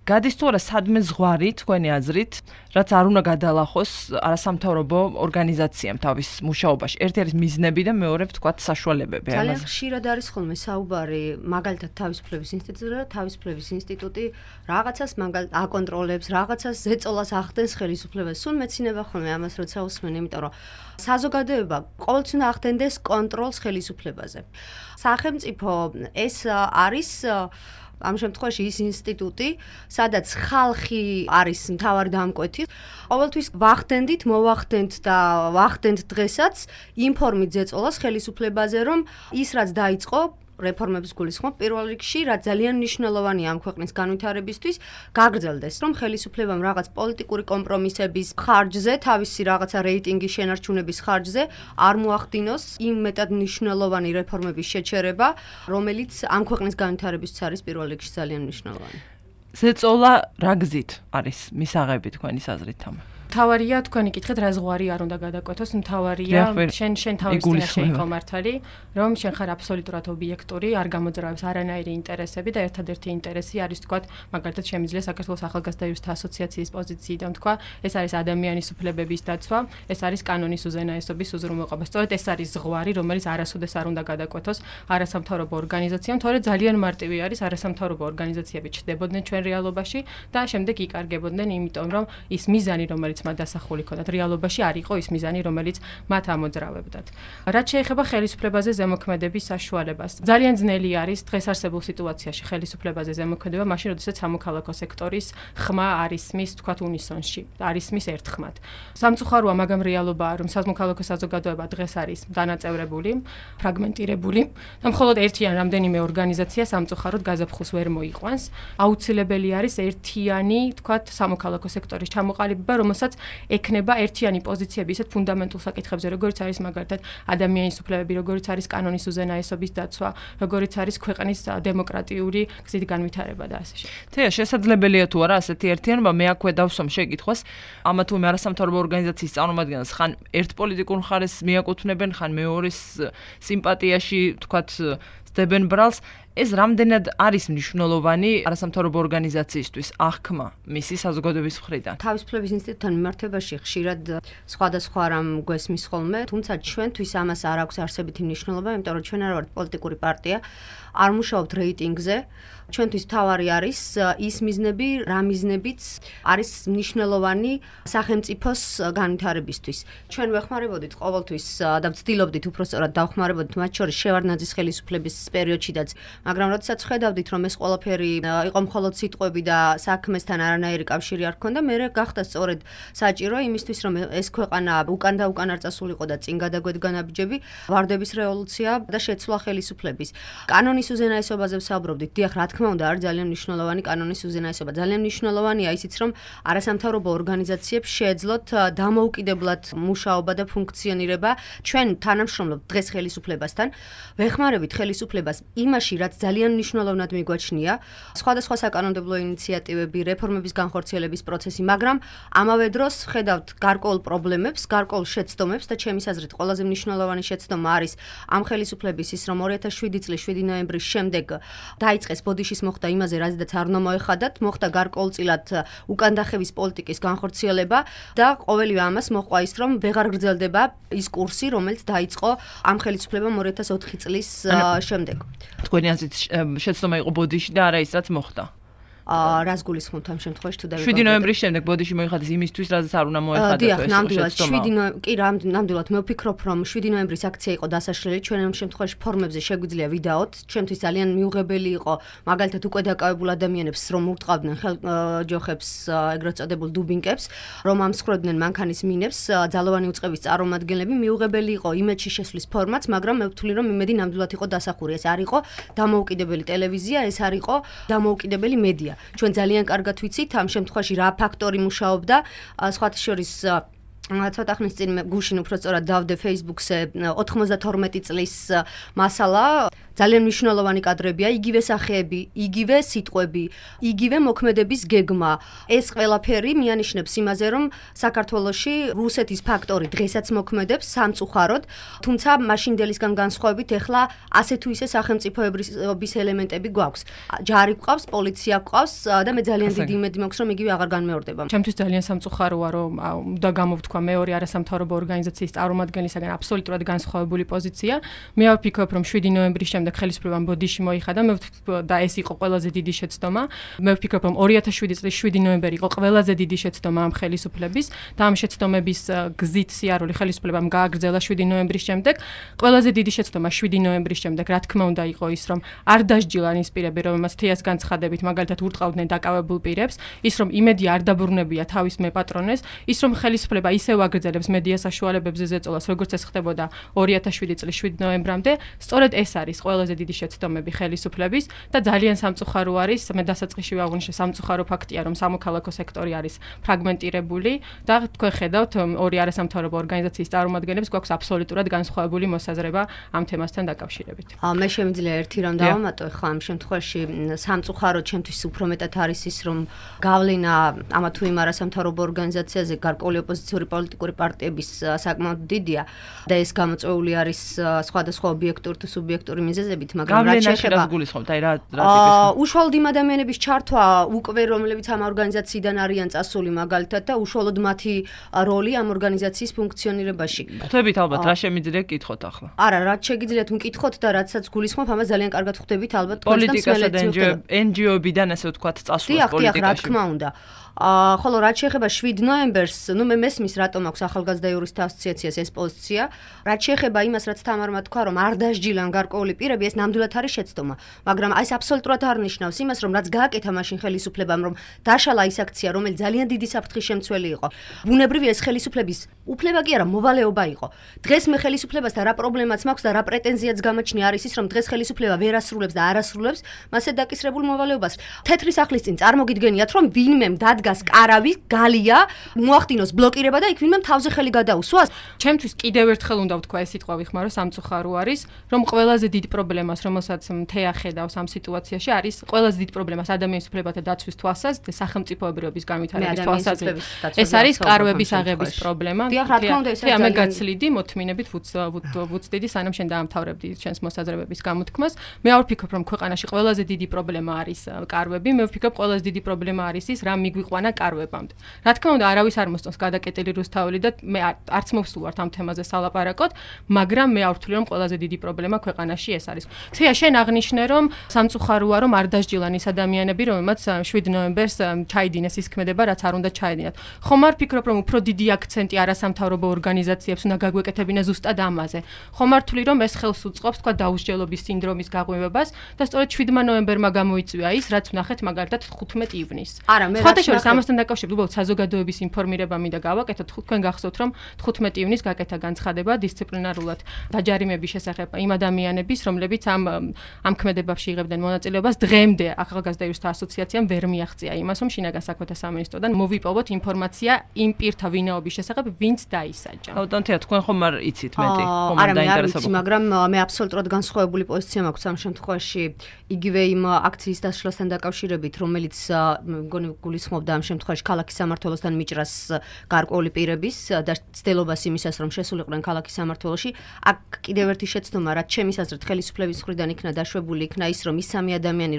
გადის თუ არა სადმე ზღვარი თქვენი აზრით, რაც არ უნდა გადალახოს არასამთავრობო ორგანიზაციამ თავის მუშაობაში. ერთი არის მიზნები და მეორე ვთქვათ საშუალებები. ძალიან ხშირად არის ხოლმე საუბარი მაგალითად თავისუფლების ინსტიტუტზე და თავისუფლების ინსტიტუტი რაღაცას მაგალითად აკონტროლებს, რაღაცას ზეწოლას ახდენს ხელისუფლებას. სულ მეცინება ხოლმე ამას როცა უსმენ, იმიტომ რომ საზოგადოება ყოველთვის უნდა ახდენდეს კონტროლს ხელისუფლებაზე. სახელმწიფო ეს არის ამ შემთხვევაში ის ინსტიტუტი, სადაც ხალხი არის მთავარი დამკვეთი. ყოველთვის ვახდენდით, მოვახდენთ და ვახდენთ დღესაც ინფორმით ზეწოლას ხელისუფლებაზე, რომ ის რაც დაიწყო რეფორმების გულისხმობ პირველ რიგში, რაც ძალიან მნიშვნელოვანია ამ ქვეყნის განვითარებისთვის, გაგრძელდეს, რომ ხელისუფლებამ რაღაც პოლიტიკური კომპრომისების ხარჯზე, თავისი რაღაცა რეიტინგის შენარჩუნების ხარჯზე არ მოახდინოს იმ მეტად მნიშვნელოვანი რეფორმების შეჩერება, რომელიც ამ ქვეყნის განვითარებისთვის არის პირველ რიგში ძალიან მნიშვნელოვანი. ზეწოლა რა გზით არის მისაღები თქვენი აზრით ამ? მთავარია თქვენი კითხეთ რა ზღვარი არ უნდა გადაკვეთოს, მთავარია შენ თავის წინაშე იყო მართალი, რომ შენ ხარ აბსოლუტურად ობიექტური, არ გამოძრავებს არანაირი ინტერესები და ერთადერთი ინტერესი არის თქვათ, მაგალითად შემიძლია საქართველოს ახალგაზრდა იურისტთა ასოციაციის პოზიციიდან თქვა, ეს არის ადამიანის უფლებების დაცვა, ეს არის კანონის უზენაესობის უზრუნველყოფა. სწორედ ეს არის ზღვარი, რომელიც არასოდეს არ უნდა გადაკვეთოს არასამთავრობო ორგანიზაციამ, თორე ძალიან მარტივი არის არასამთავრობო ორგანიზაციები ჩნდებოდნენ ჩვენ რეალობაში და შემდეგ იკარგებოდნენ, იმიტომ რომ ის მიზანი, რომელიც მათ დასახული ქონდათ რეალობაში არ იყო ის მიზანი, რომელიც მათ ამოძრავებდათ. რაც შეეხება ხელისუფლებაზე ზემოქმედების საშუალებას, ძალიან ძნელი არის დღეს არსებულ სიტუაციაში ხელისუფლებაზე ზემოქმედება, მაშინ როდესაც სამოქალაქო სექტორის ხმა არის მის თქვათ უნისონში, არის მის ერთხმად. სამწუხაროა, მაგრამ რეალობაა, რომ სამოქალაქო საზოგადოება დღეს არის დანაწევრებული, ფრაგმენტირებული და მხოლოდ ერთი ან რამდენიმე ორგანიზაცია სამწუხაროდ გაზაფხულს ვერ მოიყვანს. აუცილებელი არის ერთიანი, თქვათ, სამოქალაქო სექტორის ჩამოყალიბება, რომელსაც ექნება ერთიანი პოზიციები ისეთ ფუნდამენტურ საკითხებზე, როგორიც არის მაგალითად ადამიანის უფლებები, როგორიც არის კანონის უზენაესობის დაცვა, როგორიც არის ქვეყნის დემოკრატიული გზით განვითარება და ასე შემდეგ. თეა, შესაძლებელია თუ არა ასეთი ერთიანობა? მე აქვე დავსვამ შეკითხვას, ამა თუ მე არასამთავრობო ორგანიზაციის წარმომადგენლს ხან ერთ პოლიტიკურ მხარეს მიაკუთვნებენ, ხან მეორის სიმპათიაში, თქვათ, სდებენ ბრალს. ეს რამდენად არის მნიშვნელოვანი არასამთავრობო ორგანიზაციისთვის აღქმა მისი საზოგადოების მხრიდან? თავისუფლების ინსტიტუტთან მიმართებაში ხშირად სხვადასხვა რამ გვესმის ხოლმე, თუმცა ჩვენთვის ამას არ აქვს არსებითი მნიშვნელობა, იმიტომ რომ ჩვენ არ ვართ პოლიტიკური პარტია, არ მუშაობთ რეიტინგზე. ჩვენთვის თავარი არის ის მიზნები, რა მიზნებიც არის მნიშვნელოვანი სახელმწიფოს განვითარებისთვის. ჩვენ ვეხმარებოდით ყოველთვის და ვცდილობდით უпроსწორად დავხმარებოდით მათ შორის შევარდნაძის ხელისუფლების პერიოდშიდაც, მაგრამ როდესაც ხედავდით, რომ ეს ყველაფერი იყო მხოლოდ სიტყვები და საქმესთან არანაირი კავშირი არ ჰქონდა, მე გახდა სწორედ საჭირო იმისთვის, რომ ეს ქვეყანა უკან და უკან არ წასულიყო და წინ გადაგვედგა ნაბიჯები, ვარდების რევოლუცია და შეცვლა ხელისუფლების. კანონის უზენაესობაზე ვსაუბრობდით, დიახ, რა თქმა უნდა, არის ძალიან მნიშვნელოვანი კანონის უზენაესობა. ძალიან მნიშვნელოვანია ისიც, რომ არასამთავრობო ორგანიზაციებს შეეძლოთ დამოუკიდებლად მუშაობა და ფუნქციონირება. ჩვენ თანამშრომლობთ დღეს ხელისუფლებასთან, ვეხმარებით ხელისუფლებას იმაში, რაც ძალიან მნიშვნელოვნად მიგვაჩნია, სხვადასხვა საკანონმდებლო ინიციატივები, რეფორმების განხორციელების პროცესი, მაგრამ ამავე დროს ხედავთ გარკვეულ პრობლემებს, გარკვეულ შეცდომებს და ჩემის აზრით ყველაზე მნიშვნელოვანი შეცდომა არის ამ ხელისუფლების ის, რომ 2007 წლის 7 ნოემბრის შემდეგ დაიწყეს ბოდიშის მოხდა იმაზე, რაზედაც არ უნდა მოეხადათ, მოხდა გარკვეულწილად უკანდახევის პოლიტიკის განხორციელება და ყოველივე ამას მოჰყვა ის, რომ ვეღარ გრძელდება ის კურსი, რომელიც დაიწყო ამ ხელისუფლებამ 2004 წლის შემდეგ. თქვენი აზრით შეცდომა იყო ბოდიში და არა ის, რაც მოხდა? რას გულისხმობთ ამ შემთხვევაში თუ 7 ნოემბრის შემდეგ ბოდიში მოიხადეს იმისთვის, რაზეც არ უნდა მოეხადათ ეს შეცდომა. ნამდვილად მე ვფიქრობ, რომ 7 ნოემბრის აქცია იყო დასაშლელი, ჩვენ ამ შემთხვევაში ფორმებზე შეგვიძლია ვიდაოთ. ჩვენთვის ძალიან მიუღებელი იყო, მაგალითად უკვე დაკავებულ ადამიანებს, რომ ურტყავდნენ ხელჯოხებს, ეგრეთ წოდებულ დუბინკებს, რომ ამსხვრევდნენ მანქანის მინებს, ძალოვანი უწყების წარმომადგენლები, მიუღებელი იყო იმედში შესვლის ფორმაც, მაგრამ მე ვთვლი, რომ იმედი ნამდვილად იყო დასახური. ეს არ იყო დამოუკიდებელი ტელევიზია, ეს არ იყო დამოუკიდებელი მედია. ჩვენ ძალიან კარგად ვიცით ამ შემთხვევაში რა ფაქტორი მუშაობდა, სხვათა შორის ცოტა ხნის წინ გუშინ უბრალოდ დავდე Facebook-ზე 92 წლის მასალა ძალიან მნიშვნელოვანი კადრებია, იგივე სახეები, იგივე სიტყვები, იგივე მოქმედების გეგმა. ეს ყველაფერი მიანიშნებს იმაზე, რომ საქართველოში რუსეთის ფაქტორი დღესაც მოქმედებს სამწუხაროდ, თუმცა მაშინდელისგან განსხვავებით ეხლა ასე თუ ისე სახელმწიფოების ელემენტები გვაქვს. ჯარი გვყავს, პოლიცია გვყავს და მე ძალიან დიდი იმედი მაქვს, რომ იგივე აღარ განმეორდება. ჩემთვის ძალიან სამწუხაროა, რომ უნდა გამოვთქვა მეორე არასამთავრობო ორგანიზაციის წარმომადგენლისაგან აბსოლუტურად განსხვავებული პოზიცია. მე ვფიქრობ, რომ 7 ნოემბრის შემდეგ ხელისუფლებამ ბოდიში მოიხადა და ეს იყო ყველაზე დიდი შეცდომა. მე ვფიქრობ, რომ 2007 წლის 7 ნოემბერი იყო ყველაზე დიდი შეცდომა ამ ხელისუფლების და ამ შეცდომების გზით სიარული ხელისუფლებამ გააგრძელა 7 ნოემბრის შემდეგ. ყველაზე დიდი შეცდომა 7 ნოემბრის შემდეგ, რა თქმა უნდა, იყო ის, რომ არ დასჯილან ის პირები, რომელმაც თეას განცხადებით მაგალითად ურტყავდნენ დაკავებულ პირებს, ის რომ იმედი არ დაბრუნებია თავის მეპატრონეს, ის რომ ხელისუფლება ისევ აგრძელებს მედია საშუალებებზე ზეწოლას, როგორც ეს ხდებოდა 2007 წლის 7 ნოემბრამდე, სწორედ ეს არის ყველაზე დიდი შეცდომები ხელისუფლების და ძალიან სამწუხარო არის, მე დასაწყისში ვაღვნიშნე, სამწუხარო ფაქტია, რომ სამოქალაქო სექტორი არის ფრაგმენტირებული და თქვენ ხედავთ ორი არასამთავრობო ორგანიზაციის წარმომადგენლებს გვაქვს აბსოლუტურად განსხვავებული მოსაზრება ამ თემასთან დაკავშირებით. მე შემიძლია ერთი რამ დავამატო, ხო ამ შემთხვევაში სამწუხარო ჩემთვის უფრო მეტად არის ის, რომ გავლენა ამა თუ იმ არასამთავრობო ორგანიზაციაზე გარკვეული ოპოზიციური პოლიტიკური პარტიების საკმაოდ დიდია და ეს გამოწვეული არის სხვადასხვა ობიექტური თუ სუბიექტური მიზეზებით, მაგრამ რაც შეეხება უშუალოდ იმ ადამიანების ჩართვა უკვე რომლებიც ამ ორგანიზაციიდან არიან წასული მაგალითად და უშუალოდ მათი როლი ამ ორგანიზაციის ფუნქციონირებაში. ხვდებით ალბათ რა შემიძლია გკითხოთ ახლა? არა, რაც შეგიძლიათ მკითხოთ და რაცაც გულისხმობ, ამას ძალიან კარგად ხვდებით ალბათ პოლიტიკასა და NGO-ბიდან ასე ვთქვათ წასვლას პოლიტიკაში. რა თქმა უნდა. ხოლო რაც შეეხება 7 ნოემბერს, მე მესმის რატომ აქვს ახალგაზრდა იურისტთა ასოციაციას ეს პოზიცია. რაც შეეხება იმას, რაც თამარმა თქვა, რომ არ დასჯილან გარკვეული პირები, ეს ნამდვილად არის შეცდომა. მაგრამ ეს აბსოლუტურად არ ნიშნავს იმას, რომ რაც გააკეთა მაშინ ხელისუფლებამ, რომ დაშალა ის აქცია, რომელიც ძალიან დიდი საფრთხის შემცველი იყო. ბუნებრივია ეს ხელისუფლების უფლება კი არა, მოვალეობა იყო. დღეს მე ხელისუფლებასთან რა პრობლემაც მაქვს და რა პრეტენზიაც გამაჩნია არის ის, რომ დღეს ხელისუფლება ვერ ასრულებს და არ ასრულებს მასე დაკისრებულ მოვალეობას. თეთრი სახლის წინ წარმოგიდგენიათ, რომ ვინმემ დადგას კარავი, გალია, მოახდინოს ბლოკირება და იქ ვინმემ თავზე ხელი გადაუსვას. ჩემთვის კიდევ ერთხელ უნდა ვთქვა ეს სიტყვა ვიხმარო, სამწუხარო არის, რომ ყველაზე დიდ პრობლემას, რომელსაც თეა ხედავს ამ სიტუაციაში, არის ყველაზე დიდ პრობლემას ადამიანის უფლებათა დაცვის თვალსაზრისით და სახელმწიფოებრიობის განვითარების თვალსაზრისით. ეს არის კარვების აღების პრობლემა. თეა მე გაცლიდი მოთმინებით ვუცდიდი სანამ შენ დაამთავრებდი შენს მოსაზრებების გამოთქმას. მე არ ვფიქრობ, რომ ქვეყანაში ყველაზე დიდი პრობლემა არის კარვები, მე ვფიქრობ, ყველაზე დიდი პრობლემა არის ის, რა მიგვიყვანა კარვებამდე. რა თქმა უნდა, არავის არ მოსწონს გადაკეტილი რუსთაველი და მე არც მოვსულვართ ამ თემაზე სალაპარაკოდ, მაგრამ მე არ ვთვლი, რომ ყველაზე დიდი პრობლემა ქვეყანაში ეს არის. თეა, შენ აღნიშნე, რომ სამწუხაროა, რომ არ დასჯილან ის ადამიანები, რომელმაც 7 ნოემბერს ჩაიდინეს ის ქმედება, რაც არ უნდა ჩაედინათ. ხომ არ ფიქრობ, რომ უფრო დიდი აქცენტი არასამთავრობო ორგანიზაციებს უნდა გაგვეკეთებინა ზუსტად ამაზე. ხომ არ ვთვლი, რომ ეს ხელს უწყობს თქვა დაუსჯელობის სინდრომის გაღვივებას და სწორედ 7 ნოემბერმა გამოიწვია ის, რაც ვნახეთ მაგალითად 15 ივნისს. სხვათა შორის ამასთან დაკავშირებით უბრალოდ საზოგადოების ინფორმირება მინდა გავაკეთოთ. თქვენ გახსოვთ, რომ 15 ივნისს გაკეთა განცხადება დისციპლინარულად დაჯარიმების შესახებ იმ ადამიანების, რომლებიც ამ ქმედებებში იღებდნენ მონაწილეობას, დღემდე ახალგაზრდა იურისტთა ასოციაციამ ვერ მიაღწია იმას, რომ შინაგან საქმეთა სამინისტროდან მოვიპოვოთ ინფორმაცია იმ პირთა ვინაობის შესახებ, ვინც დაისაჯა. აუტანთია, თქვენ ხომ არ იცით მეტი, ხომ არ დაინტერესებთ? მაგრამ მე აბსოლუტურად განსხვავებული პოზიცია მაქვს ამ შემთხვევაში, იგივე იმ აქციის დასრულებასთან დაკავშირებით, რომელიც მგონი გულისხმობდა ამ შემთხვევაში ქალაქის სამმართველოსთან მიჭრას გარკვეული პირების და ცდილობას იმისას, რომ შესულიყვნენ ქალაქის სამმართველოში. აქ კიდევ ერთი შეცდომა, რაც ჩემის აზრით ხელისუფლების მხრიდან იქნა დაშვებული, იქნა ის, რომ ის სამი ადამიანი,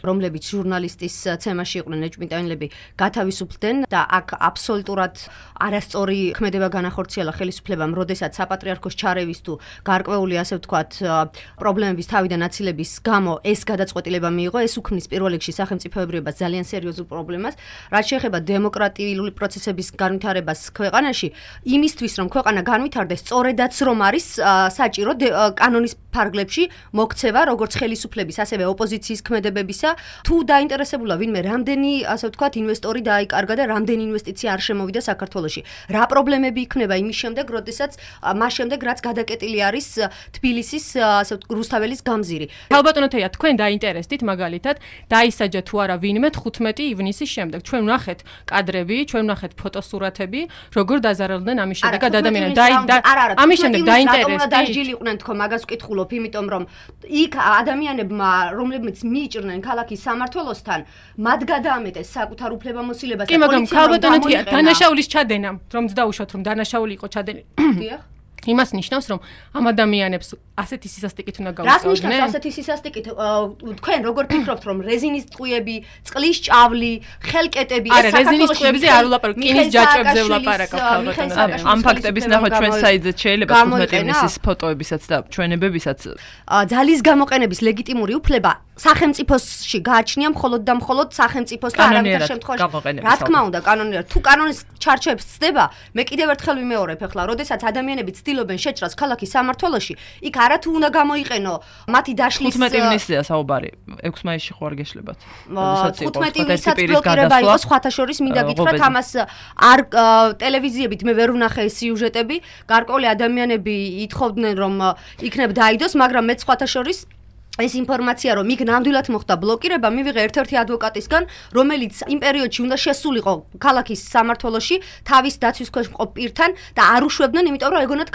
რომლებიც ჟურნალისტის ცემაში იყვნენ ეჭვმიტანილები, გათავისუფლდნენ და აქ აბსოლუტურად არასწორი ქმედება განახორციელა ხელისუფლებამ, როდესაც საპატრიარქოს ჩარევის თუ გარკვეული, ასე ვთქვათ, პრობლემების თავიდან აცილების გამო ეს გადაწყვეტილება მიიღო, ეს უქმნის პირველ რიგში სახელმწიფოებრიობას ძალიან სერიოზულ პრობლემას. რაც შეეხება დემოკრატიული პროცესების განვითარებას ქვეყანაში, იმისთვის, რომ ქვეყანა განვითარდეს, სწორედაც რომ არის საჭირო კანონის ფარგლებში მოქცევა როგორც ხელისუფლების, ასევე ოპოზიციის ქმედებებისა, თუ დაინტერესებულა ვინმე რამდენი, ასე ვთქვათ, ინვესტორი დაიკარგა და რამდენი ინვესტიცია არ შემოვიდა საქართველოში. რა პრობლემები იქნება იმის შემდეგ, როდესაც მას შემდეგ რაც გადაკეტილი არის თბილისის, ასე ვთქვათ, რუსთაველის გამზირი. ალბათონო თეა, თქვენ დაინტერესდით მაგალითად, დაისაჯა თუ არა ვინმე 15 ივნისის შემდეგ. ჩვენ ვნახეთ კადრები, ჩვენ ვნახეთ ფოტოსურათები, როგორ დაზარალდნენ ამის შემდეგ ადამიანები. ამის შემდეგ დაინტერესდით. დაჟილიყვნენ თქო, მაგას ვკითხულობ, იმიტომ რომ იქ ადამიანებმა, რომლებიც მიიჭრნენ ქალაქის სამმართველოსთან, მათ გადაამეტეს საკუთარ უფლებამოსილებას და პოლიციამ ალბათონო თეა, დანაშაულის ჩადენამ, რომ დაუშვათ რომ დანაშაული იყო ჩადენილი. დიახ. იმას ნიშნავს, რომ ამ ადამიანებს ასეთი სისასტიკით უნდა გავუსწავლდნენ. რას ნიშნავს ასეთი სისასტიკით? თქვენ როგორ ფიქრობთ, რომ რეზინის ტყუები, წყლის ჭავლი, ხელკეტები ეს საქართველოს რეზინის ტყუებზე არ ვლაპარაკობ, კინის ჯაჭვებზე ვლაპარაკობ ალბათ. ამ ფაქტების ნახვა ჩვენ საიძეთ შეიძლება 15 ივნისის ფოტოებისაც და ჩვენებებისაც. ძალის გამოყენების ლეგიტიმური უფლება სახელმწიფოში გააჩნია მხოლოდ და მხოლოდ სახელმწიფოს და არავითარ შემთხვევაში. რა თქმა უნდა, კანონიერად. თუ კანონის ჩარჩოებს ცდება, მე კიდევ ერთხელ ვიმეორებ ახლა, როდესაც ადამიანები ცდილობენ შეჭრას ქალაქის სამმართველოში, იქ არათუ უნდა გამოიყენო მათი დაშლის 15 ივნისია საუბარი. 6 მაისში ხო არ გეშლებათ? 15 ივნისაც ბლოკირება იყო სხვათა შორის, მინდა გითხრათ, ამას არ ტელევიზიებით მე ვერ ვნახე სიუჟეტები, გარკვეული ადამიანები ითხოვდნენ რომ იქნებ დაიდოს, მაგრამ მე სხვათა შორის ეს ინფორმაცია რომ იქ ნამდვილად მოხდა ბლოკირება მივიღე ერთ-ერთი ადვოკატისგან, რომელიც იმ პერიოდში უნდა შესულიყო ქალაქის სამმართველოში თავის დაცვის ქვეშ მყოფ პირთან და არ უშვებდნენ, იმიტომ რომ ეგონათ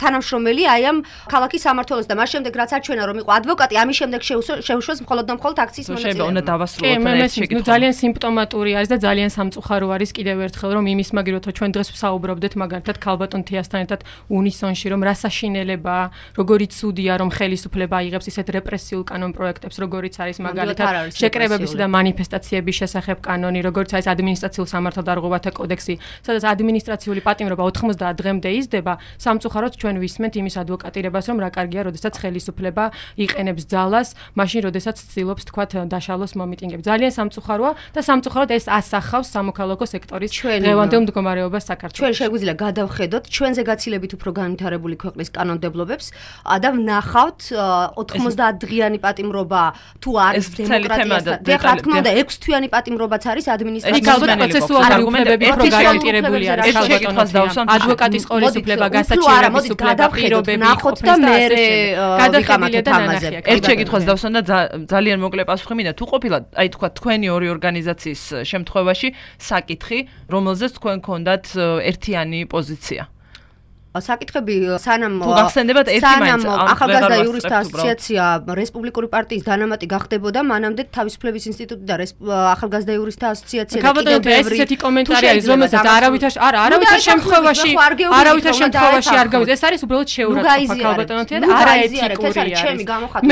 თანამშრომელი აი ამ ქალაქის სამმართველოს და მას შემდეგ რაც აჩვენა რომ იყო ადვოკატი, ამის შემდეგ შეუშვეს მხოლოდ და მხოლოდ აქციის მონაწილეობა. უნდა დავასრულოთ ეს შეკითხვა. ძალიან სიმპტომატური არის და ძალიან სამწუხარო არის კიდევ ერთხელ რომ იმის მაგივროთო ჩვენ დღეს ვსაუბრობდეთ მაგალითად ქალბატონ თეასთან ერთად უნისონში რომ რა საშინელებაა, როგორი ცუდია რომ ხელისუფლება იღებს ისეთ რეპრესიულ კანონ პროექტებს, როგორიც არის მაგალითად შეკრებებისა და მანიფესტაციების შესახებ კანონი, როგორც არის ადმინისტრაციულ სამართალდარღვევათა კოდექსი, სადაც ადმინისტრაციული პატიმრობა 90 დღემდე იზრდება, სამწუხაროდ ჩვენ ვისმენთ იმის ადვოკატირებას, რომ რა კარგია, როდესაც ხელისუფლება იყენებს ძალას, მაშინ როდესაც ცდილობს თქვათ დაშალოს მომიტინგებს. ძალიან სამწუხაროა და სამწუხაროდ ეს ასახავს სამოქალაქო სექტორის დღევანდელ მდგომარეობას საქართველოში. ჩვენ შეგვიძლია გადავხედოთ ჩვენზე გაცილებით უფრო განვითარებული ქვეყნის კანონმდებლობებს და ვნახავთ 90 დღიანი პატიმრობა თუ არის დემოკრატიასთან. რა თქმა უნდა, 6 თვიანი პატიმრობაც არის ადმინისტრაციული პროცესუალური უფლებები უფრო გარანტირებული არის ქალბატონო. ადვოკატის ყოლისუფლება, გასაჩივრების უფლება, პირობები, ნახოთ და მე გადახედილია და ნანახია. ერთ შეკითხვას დავსვან და ძალიან მოკლე პასუხი მინდა. თუ ყოფილა, აი თქვა თქვენი ორი ორგანიზაციის შემთხვევაში საკითხი, რომელზეც თქვენ გქონდათ ერთიანი პოზიცია. საკითხები სანამ სანამ ახალგაზრდა იურისტთა ასოციაცია რესპუბლიკური პარტიის დანამატი გახდებოდა, მანამდე თავისუფლების ინსტიტუტი და ახალგაზრდა იურისტთა ასოციაცია კიდევ ბევრი ესეთი კომენტარი არის, რომელსაც არავითარ შემთხვევაში არ გავიძ. ეს არის უბრალოდ შეურაცხყოფა ქალბატონოთი და არაეთიკური არის.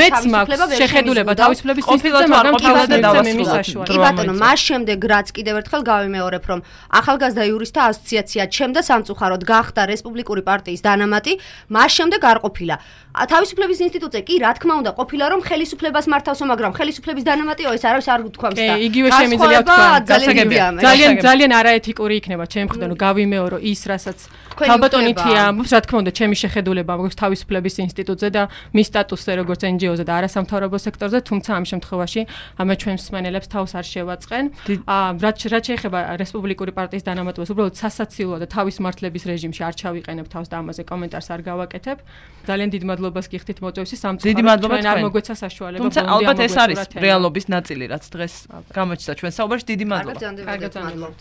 მეც მაქვს შეხედულება თავისუფლების ინსტიტუტზე, მაგრამ თავისუფლების იმის საშუალებით. კი ბატონო, მას შემდეგ რაც კიდევ ერთხელ გავიმეორებ, რომ ახალგაზრდა იურისტთა ასოციაცია ჩემდა სამწუხაროდ გახდა რესპუბლიკური პარტიის დანამატი, მას შემდეგ არ ყოფილა. თავისუფლების ინსტიტუტზე კი რა თქმა უნდა ყოფილა რომ ხელისუფლებას მართავსო, მაგრამ ხელისუფლების დანამატიო ეს არავის არ გთქვამს და იგივე შემიძლია თქვა. ძალიან არაეთიკური იქნება ჩემი მხრიდან გავიმეორო ის, რასაც ქალბატონითია ამბობს, რა თქმა უნდა ჩემი შეხედულება მაქვს თავისუფლების ინსტიტუტზე და მის სტატუსზე როგორც NGO-ზე და არასამთავრობო სექტორზე, თუმცა ამ შემთხვევაში მე ჩვენს მსმენელებს თავს არ შევაწყენ. რაც შეეხება რესპუბლიკური პარტიის დანამატებას, უბრალოდ სასაცილოა და თავის მართლების რეჟიმში არ ჩავიყენებ თავს და ამაზე კომენტარს არ გავაკეთებ. ძალიან დიდ მადლობას გიხდით მოწვევისთვის. სამწუხაროდ ჩვენ არ მოგვეცა საშუალება. თუმცა ალბათ ეს არის რეალობის ნაწილი, რაც დღეს გამოჩნდა ჩვენ საუბარში. დიდი მადლობა. კარგად მადლობთ.